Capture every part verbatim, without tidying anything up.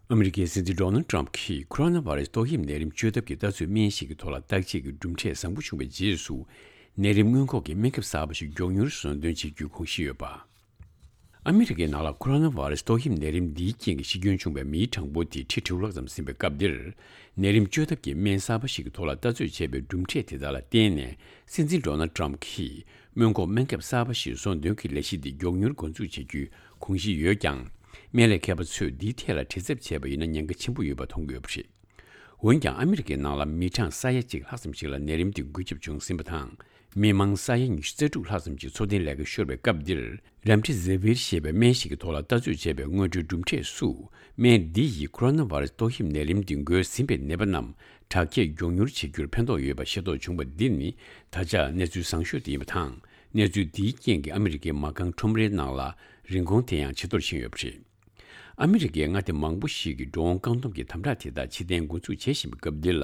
ཨ་མི་རི་ཀའི་སྲིད་འཛིན་ཌོ་ནལ་ཊམ་གྱིས་ཁོ་རོ་ན་བྷ་རེ་སི་ཏོག་དབྱིབས་ནད་རིམས་བཅོས་ཐབས་ཀྱི་ལྟ་ཚོད་སྨན་ཞིག་གི་ཐོག་ལ་བརྟག་དཔྱད་ཀྱི་གྲུབ་འབྲས་བཟང་པོ་བྱུང་བའི་རྗེས་སུ། ནད་རིམས་སྔོན་འགོག་གི་སྨན་ཁབ་གསར་པ་ཞིག་མགྱོགས་མྱུར་ཟོ་འདོན་བྱེད་རྒྱུའི་དགོངས་གཞི་ཡོད་པ། ཨ་མི་རི་ཀའི་ནང་ལ་ཁོ་རོ་ན་བྷ་རེ་སི་ཏོག་དབྱིབས་ནད་རིམས་འདིའི་རྐྱེན་གྱིས་ཤི་སྐྱོན་བྱུང་བའི་མིའི་གྲངས་འབོར་དེ་ཁྲི་དྲུག་ལྷག་ཙམ་ཟིན་པའི་སྐབས་འདིར། ནད་རིམས་བཅོས་ཐབས་ཀྱི་སྨན་གསར་པ་ཞིག་གི་ཐོག་ལ་ལྟ་ཚོད་བྱས་པའི་གྲུབ་འབྲས་དེ་དག་ལ་བརྟེན་ནས། སྲིད་འཛིན་ཌོ་ནལ་ཊམ་གྱིས་སྔོན་འགོག་སྨན་ཁབ་གསར་པ་ཞིག་ཟོ་འདོན་གྱི་ལས་གཞི་འདི་མགྱོགས་མྱུར་འགོ་འཛུགས་བྱེད་རྒྱུའི་དགོངས་གཞི་ཡོད་ཀྱང་། སྨན་ལས་མཁས་པ་ཚོས་འདིའི་ཐད་ལ་དྲི་རྩད་བྱས་པ་ཡིན་ན་ཉེན་ཁ་ཆེན་པོ་ཡོད་པ་མཐོང་གི་ཡོད་པ་རེད། འོན་ཀྱང་། ཨ་མི་རི་ཀའི་ནང་ལ་མི་གྲངས་ས་ཡ་གཅིག་ལྷག་ཙམ་ཞིག་ལ་ནད་རིམས་འདི་འགོས་ཁྱབ་བྱུང་ཟིན་པ་དང་། མི་མང་ས་ཡ་ཉི་ཤུ་རྩ་དྲུག་ལྷག་ཙམ་གྱིས་འཚོ་རྟེན་ལས་ཀ་ཤོར་བའི་སྐབས་འདིར། རེམ་ཌི་ཟི་ཝིར་ཞེས་པའི་སྨན་ཞིག་གི་ཐོག་ལ་ལྟ་ཚོད་བྱས་པའི་སྔོན་འགྲོའི་གྲུབ་འབྲས་སུ། སྨན་འདི་ཡིས་ཁོ་རོ་ན་བྷ་རེ་སི་ཏོག་དབྱིབས་ནད་རིམས་འདི་འགོས་ཟིན་པའི་ནད་པ་རྣམས་དྲག་སྐྱེད་མགྱོགས་མྱུར་བྱེད་རྒྱུར་ཕན་ཐོགས་ཡོད་པ་ཤེས་རྟོགས་བྱུང་བ་འདི་ནི། ད་ཆ་གནས་ཚུལ་བཟང་ཤོས་དེ་ཡིན་པ་དང་། གནས་ཚུལ་འདིའི་རྐྱེན་གྱིས་ཨ་མི་རི་ཀའི་མ་རྐང་ཁྲོམ་རའི་ནང་ལ་རིན་གོང་དེ་ཡང་ཇེ་མཐོར་ཕྱིན་ཡོད་པ་རེད། ཨ་མི་རི་ཀའི་མངའ་སྡེ་མང་པོ་ཞིག་གིས་འགྲོ་འོང་བཀག་སྡོམ་གྱི་དམ་དྲག་དེ་དག་ཕྱིར་འཐེན་འགོ་འཛུགས་བྱེད་བཞིན་པའི་སྐབས་འདི་ལ།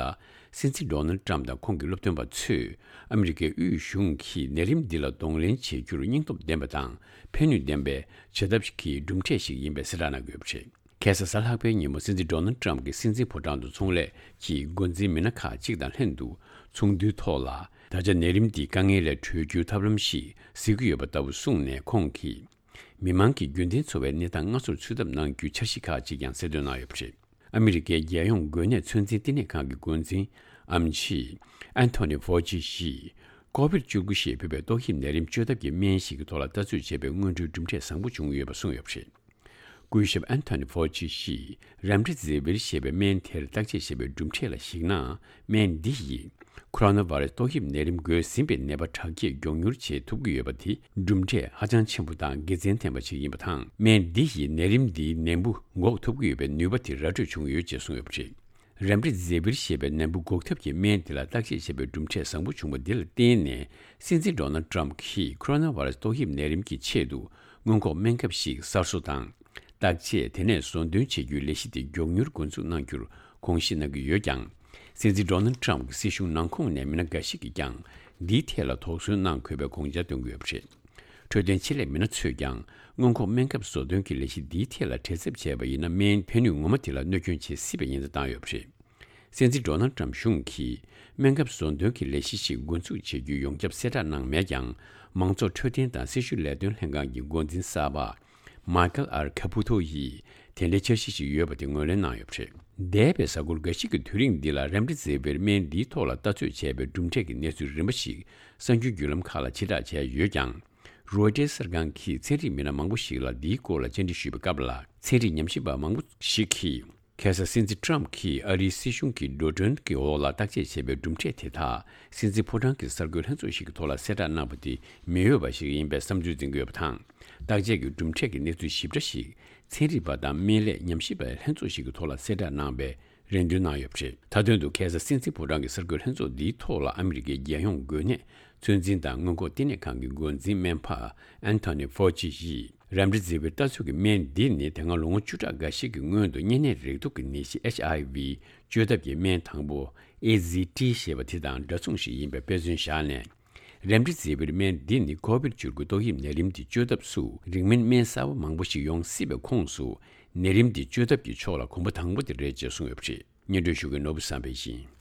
སྲིད་འཛིན་ཌོ་ནལ་ཊམ་དང་ཁོང་གི་སློབ་སྟོན་པ་ཚོས་ཨ་མི་རི་ཀའི་དབུས་གཞུང་གིས་ནད་རིམས་འདི་ལ་གདོང་ལེན་བྱེད་རྒྱུར་སྙིང་སྟོབས་ལྡན་པ་དང་ཕན་ནུས་ལྡན་པའི་བྱ་ཐབས་ཀྱི་གྲུབ་འབྲས་ཤིག་ཡིན་པའི་གསལ་བསྒྲགས་གནང་གི་ཡོད་པ་རེད། ཁ་སང་གཟའ་ལྷག་པའི་ཉིན་མོ། སྲིད་འཛིན་ཌོ་ནལ་ཊམ་གྱིས་སྲིད་འཛིན་ཕོ་བྲང་དུ་ཚོང་ལས་ཀྱི་འགོ་འཛིན་མི་སྣ་ཁག་ཅིག་དང་ལྷན་དུ་ཚོགས་འདུའི་ཐོག་ལ། ད་ཆ་ནད་རིམས་འདིས་དཀའ་ངལ་ལས་གྲོལ་རྒྱུའི་ཐབས་ལམ་ཞིག་གཟིགས་ཀྱི་ཡོད་པ་ལྟ་བུ་གསུངས་ནས། ཁོང་གིས། མི་མང་གི་རྒྱུན་ལྡན་འཚོ་བའི་གནས་སྟངས་སྔར་སོར་ཚུད་ཐབས་གནང་རྒྱུའི་འཆར་གཞི་ཁག་ཅིག་ཀྱང་གསལ་སྟོན་གནང་ཡོད་པ་རེད། ཨ་མི་རི་ཀའི་རྒྱལ་ཡོངས་འགོས་ནད་ཚོད་འཛིན་བསྟི་གནས་ཁང་གི་འགོ་འཛིན་ཨེམ་ཆི་ཨན་ཐོ་ནི་ཕོ་ཅི་ཡིས། ཀོ་བིཌ་བཅུ་དགུ་ཞེས་འབོད་པའི་ཏོག་དབྱིབས་ནད་རིམས་བཅོས་ཐབས་ཀྱི་སྨན་ཞིག་གི་ཐོག་ལ་ལྟ་ཚོད་བྱས་པའི་སྔོན་འགྲོའི་གྲུབ་འབྲས་བཟང་པོ་བྱུང་ཡོད་པ་གསུངས་ཡོད་པ་རེད། སྐུ་ཞབས་ཨན་ཐོ་ནི་ཕོ་ཅི་ཡིས་རེམ་ཌི་ཟི་ཝིར་ཞེས་པའི་སྨན་དེར་བརྟག་དཔྱད་བྱས་པའི་གྲུབ་འབྲས་ལ་གཞིགས་ན། སྨན་འདི་ཡིས་ཁོ་རོ་ན་བྷ་རེ་སི་ཏོག་དབྱིབས་ནད་རིམས་འགོས་ཟིན་པའི་ནད་པ་དྲག་སྐྱེད་མགྱོགས་མྱུར་བྱེད་ཐུབ་ཀྱི་ཡོད་པ་དེ་གྲུབ་འབྲས་ཧ་ཅང་ཆེན་པོ་དང་དགེ་མཚན་ལྡན་པ་ཞིག་ཡིན་པ་དང་། སྨན་འདི་ཡིས་ནད་རིམས་འདིའི་ནད་འབུ་འགོག་ཐུབ་ཀྱི་ཡོད་པའི་ནུས་པ་དེ་ར་སྤྲོད་བྱུང་ཡོད་ཅེས་གསུངས་ཡོད་པ་རེད། རེམ་ཌི་ཟི་ཝིར་ཞེས་པའི་ནད་འབུ་འགོག་ཐབས་ཀྱི་སྨན་དེ་ལ་བརྟག་དཔྱད་བྱས་པའི་གྲུབ་འབྲས་བཟང་པོ་བྱུང་བ་འདི་ལ་བརྟེན་ནས། སྲིད་འཛིན་ཌོ་ནལ་ཊམ་གྱིས་ཁོ་རོ་ན་བྷ་རེ་སི་ཏོག་དབྱིབས་ནད་རིམས་ཀྱི་ཆེད་དུ་སྔོན་འགོག་སྨན་ཁབ་ཞིག་གསར་བཟོ་དང་། བརྟག་དཔྱད་དེ་ནས་ཟོ་འདོན་བྱེད་རྒྱུའི་ལས་གཞི་དེ་མགྱོགས་མྱུར་འགོ་འཛུགས་གནང་རྒྱུར་དགོངས་བཞེས་གནང་གི་ཡོད་ཀྱང་། སྲིད་འཛིན་ཌོ་ནལ་ཊམ་གྱི་སྲིད་གཞུང་ནང་ཁོངས་ནས་མི་སྣ་འགའ་ཞིག་གིས་ཀྱང་འདིའི་ཐད་ལ་དོགས་ཟོན་གནང་དགོས་པའི་དགོངས་འཆར་བཏོན་གྱི་ཡོད་པ་རེད། འཕྲོད་བསྟེན་ཆེད་ལས་མི་སྣ་ཚོས་ཀྱང་སྔོན་འགོག་སྨན་ཁབ་བཟོ་འདོན་གྱི་ལས་གཞི་འདིའི་ཐད་ལ་དྲི་རྩད་བྱས་པ་ཡིན་ན། སྨན་ཕན་ནུས་ངོ་མ་དེ་ལ་གནོད་སྐྱོན་བྱེད་སྲིད་པ་ཡིན་ཚུལ་བཏང་ཡོད་པ་རེད། སྲིད་འཛིན་ཌོ་ནལ་ཊམ་གཞུང་གིས་སྨན་ཁབ་བཟོ་འདོན་གྱི་ལས་གཞི་ཞིག་འགོ་འཛུགས་བྱེད་རྒྱུའི་ཡོངས་ཁྱབ་གསལ་བསྒྲགས་གནང་མེད་ཀྱང་། མང་ཚོགས་འཕྲོད་བསྟེན་དང་སྲི་ཞུ་ལས་དོན་ལྷན་ཁང་གི་འགོ་འཛིན་གསར་པ་མཱ་ཀལ་ཨར་ཁ་པུ་ཐོ་ཡིས་དེ་འདྲའི་འཆར་གཞི་ཞིག་ཡོད་པ་དེ་ངོས་ལེན་གནང་ཡོད་པ་རེད། འདས་པའི་གཟའ་འཁོར་འགའ་ཞིག་གི་དུས་རིང་འདི་ལ་རེམ་ཌི་ཟི་ཝིར་སྨན་འདིའི་ཐོག་ལ་ལྟ་ཚོད་བྱས་པའི་གྲུབ་འབྲས་ཀྱི་གནས་ཚུལ་རིམ་པ་ཞིག་གསར་འགྱུར་བརྒྱུད་ལམ་ཁག་ལ་ཕྱིར་བསྒྲགས་བྱས་ཡོད་ཀྱང་། རོའི་ཊར་གསར་ཁང་གིས་ཚན་རིག་མི་སྣ་མང་པོ་ཞིག་ལ་འདིའི་སྐོར་ལ་བཅར་འདྲི་ཞུས་པའི་སྐབས་ལ། ཚན་རིག་ཉམས་ཞིབ་པ་མང་པོ་ཞིག་གིས། ཁ་སང་སྲིད་འཛིན་ཊམ་གྱིས་ཨ་རིའི་སྲིད་གཞུང་གི་འགྲོ་གྲོན་གྱི་འོག་ལ་བརྟག་དཔྱད་བྱས་པའི་གྲུབ་འབྲས་དེ་དག་སྲིད་འཛིན་ཕོ་བྲང་གི་གསར་འགོད་ལྷན་ཚོགས་ཤིག་གི་ཐོག་ལ་གསལ་བསྒྲགས་གནང་བ་དེ་མི་འོས་པ་ཞིག་ཡིན་པའི་བསམ་ཚུལ་འཛིན་གྱི་ཡོད་པ་དང་། བརྟག་དཔྱད་ཀྱི་གྲུབ་འབྲས་ཀྱི་གནས་ཚུལ་ཞིབ་ཕྲ་ཞིག་ཚན་རིག་པ་དང་སྨན་ལས་ཉམས་ཞིབ་པའི་ལྷན་ཚོགས་ཤིག་གི་ཐོག་ལ་གསལ་བསྒྲགས་གནང་བའི་རེ་འདུན་གནང་ཡོད་པ་རེད། མཐའ་དོན་དུ། ཁ་སང་སྲིད་འཛིན་ཕོ་བྲང་གི་གསར་འགོད་ལྷན་ཚོགས་འདིའི་ཐོག་ལ་ཨ་མི་རི་ཀའི་རྒྱལ་ཡོངས་འགོས་ནད་ཚོད་འཛིན་དང་སྔོན་འགོག་བསྟི་གནས་ཁང་གི་འགོ་འཛིན་སྨན་པ་ཨན་ཐོ་ནི་ཕོ་ཅི་ཡིས། རེམ་ཌི་ཟི་ཝིར་ལྟ་ཚོད་ཀྱི་སྨན་འདི་ནི་དེ་སྔ་ལོ་ངོ་བཅུ་ཕྲག་འགའ་ཞིག་གི་སྔོན་དུ་གཉན་ནད་རེག་དུག་གི་ནད་གཞི་ཨེཆ་ཨའི་ཝི་བཅོས་ཐབས་ཀྱི་སྨན་དང་པོ་ཨེ་ཛི་ཊི་ཞེས་པ་དེ་དང་འདྲ་མཚུངས་ཤིག་ཡིན་པའི་དཔེ་མཚོན་བཞག་ནས། རེམ་ཌི་ཟི་ཝིར་སྨན་འདི་ནི་ཀོ་བིཌ་བཅུ་དགུ་ཏོག་དབྱིབས་ནད་རིམས་འདི་བཅོས་ཐབས་སུ་རིང་མིན་སྨན་གསར་པ་མང་པོ་ཞིག་ཡོང་སྲིད་པའི་ཁོངས་སུ་ནད་རིམས་འདི་བཅོས་ཐབས་ཀྱི་ཕྱོགས་ལ་གོམ་པ་དང་པོ་དེ་རེད་ཅེས་གསུངས་ཡོད་པ་རེད། སྙན་སྒྲོན་ཞུ་མཁན་ནོར་བུ་བསམ་འཕེལ་ཡིན།